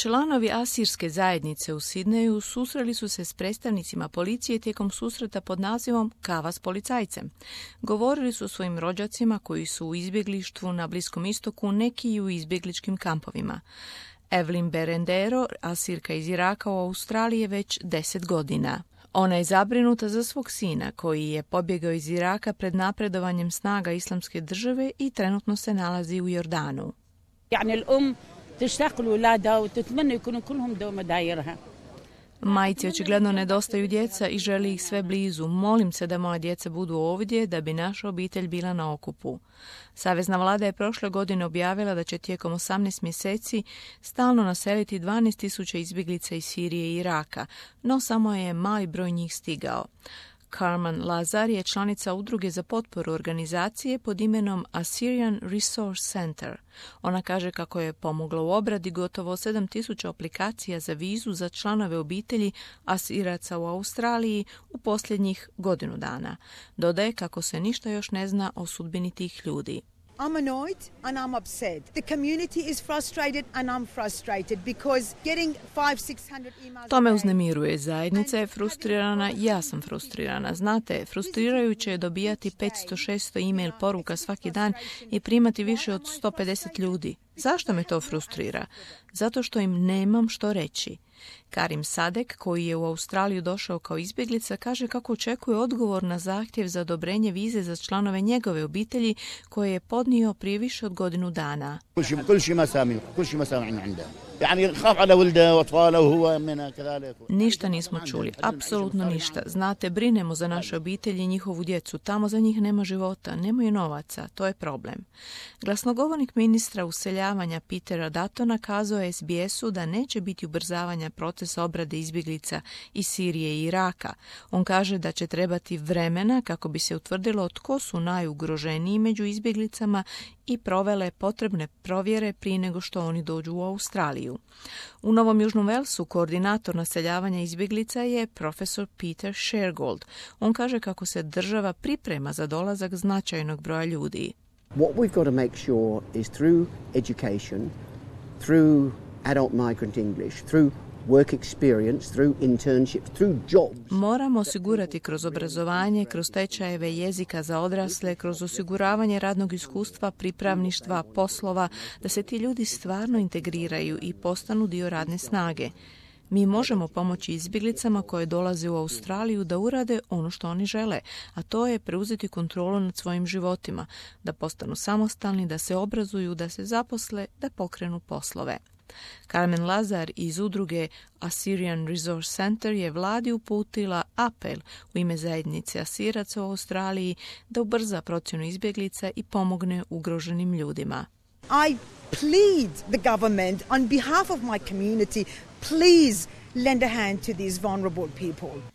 Članovi asirske zajednice u Sidneju susreli su se s predstavnicima policije tijekom susreta pod nazivom Kava s policajcem. Govorili su o svojim rođacima koji su u izbjeglištvu na Bliskom istoku, neki i u izbjegličkim kampovima. Evelyn Berendero, asirka iz Iraka u Australiji, je već 10 godina. Ona je zabrinuta za svog sina koji je pobjegao iz Iraka pred napredovanjem snaga Islamske države i trenutno se nalazi u Jordanu. Majci očigledno nedostaju djeca i želi ih sve blizu. Molim se da moja djeca budu ovdje da bi naša obitelj bila na okupu. Savezna vlada je prošle godine objavila da će tijekom 18 mjeseci stalno naseliti 12.000 izbjeglica iz Sirije i Iraka, no samo je mali broj njih stigao. Carmen Lazar je članica udruge za potporu organizacije pod imenom Assyrian Resource Center. Ona kaže kako je pomogla u obradi gotovo 7.000 aplikacija za vizu za članove obitelji Asiraca u Australiji u posljednjih godinu dana. Dodaje kako se ništa još ne zna o sudbini tih ljudi. I'm annoyed and I'm upset. The community is frustrated and I'm frustrated because getting 500-600 emails. To me uznemiruje. Zajednica je frustrirana, ja sam frustrirana. Znate, frustrirajuće je dobijati 500-600 e-mail poruka svaki dan i primati više od 150 ljudi. Zašto me to frustrira? Zato što im nemam što reći. Karim Sadek, koji je u Australiju došao kao izbjeglica, kaže kako očekuje odgovor na zahtjev za odobrenje vize za članove njegove obitelji koje je podnio prije više od godinu dana. Ništa nismo čuli, apsolutno ništa. Znate, brinemo za naše obitelji i njihovu djecu. Tamo za njih nema života, nemaju novaca, to je problem. Glasnogovornik ministra useljavanja Petera Duttona kazao je SBS-u da neće biti ubrzavanja procesa obrade izbjeglica iz Sirije i Iraka. On kaže da će trebati vremena kako bi se utvrdilo tko su najugroženiji među izbjeglicama i provele potrebne provjere prije nego što oni dođu u Australiju. U Novom Južnom Velsu koordinator naseljavanja izbjeglica je profesor Peter Shergold. On kaže kako se država priprema za dolazak značajnog broja ljudi. What we've got to make sure is through education, through adult migrant English, through work experience, through internships, through jobs. Moramo osigurati kroz obrazovanje, kroz tečajeve jezika za odrasle, kroz osiguravanje radnog iskustva, pripravništva, poslova, da se ti ljudi stvarno integriraju i postanu dio radne snage. Mi možemo pomoći izbjeglicama koje dolaze u Australiju da urade ono što oni žele, a to je preuzeti kontrolu nad svojim životima, da postanu samostalni, da se obrazuju, da se zaposle, da pokrenu poslove. Carmen Lazar iz udruge Assyrian Resource Center je vladi uputila apel u ime zajednice Asiraca u Australiji da ubrza procjenu izbjeglica i pomogne ugroženim ljudima. I plead the government on behalf of my community, please lend a hand to these vulnerable people.